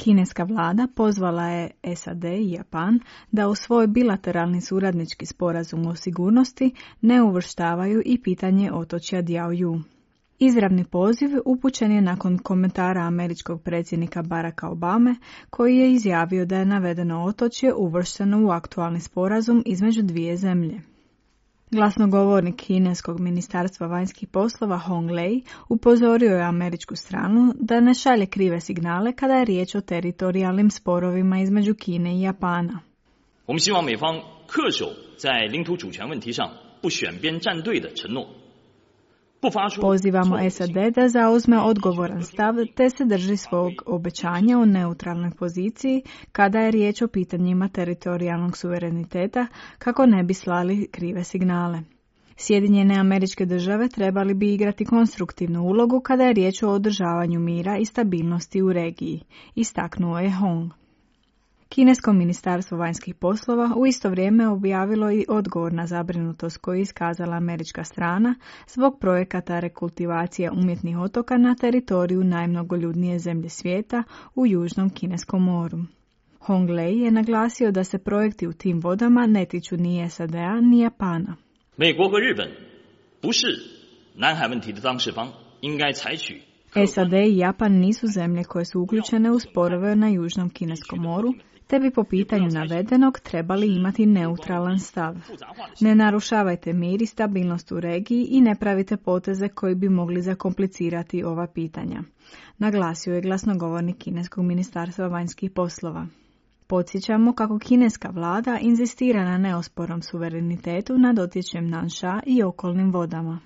Kineska vlada pozvala je SAD i Japan da u svoj bilateralni suradnički sporazum o sigurnosti ne uvrštavaju i pitanje otočja Diaoyu. Izravni poziv upućen je nakon komentara američkog predsjednika Baracka Obame, koji je izjavio da je navedeno otočje uvršteno u aktualni sporazum između dvije zemlje. Glasnogovornik kineskog ministarstva vanjskih poslova Hong Lei upozorio je američku stranu da ne šalje krive signale kada je riječ o teritorijalnim sporovima između Kine i Japana. 我们希望美方恪守在领土主权问题上不选边站队的承诺。 Pozivamo SAD da zauzme odgovoran stav te se drži svog obećanja o neutralnoj poziciji kada je riječ o pitanjima teritorijalnog suvereniteta kako ne bi slali krive signale. Sjedinjene Američke Države trebali bi igrati konstruktivnu ulogu kada je riječ o održavanju mira i stabilnosti u regiji, istaknuo je Hong. Kinesko ministarstvo vanjskih poslova u isto vrijeme objavilo i odgovor na zabrinutost koju je iskazala američka strana zbog projekata rekultivacije umjetnih otoka na teritoriju najmnogoljudnije zemlje svijeta u Južnom Kineskom moru. Hong Lei je naglasio da se projekti u tim vodama ne tiču ni SAD-a ni Japana. 美国和日本不是南海问题的当事方，应该采取 SAD i Japan nisu zemlje koje su uključene u sporove na Južnom Kineskom moru, te bi po pitanju navedenog trebali imati neutralan stav. Ne narušavajte mir i stabilnost u regiji i ne pravite poteze koji bi mogli zakomplicirati ova pitanja, naglasio je glasnogovornik Kineskog ministarstva vanjskih poslova. Podsjećamo kako kineska vlada inzistira na neospornom suverenitetu nad otočjem Nansha i okolnim vodama.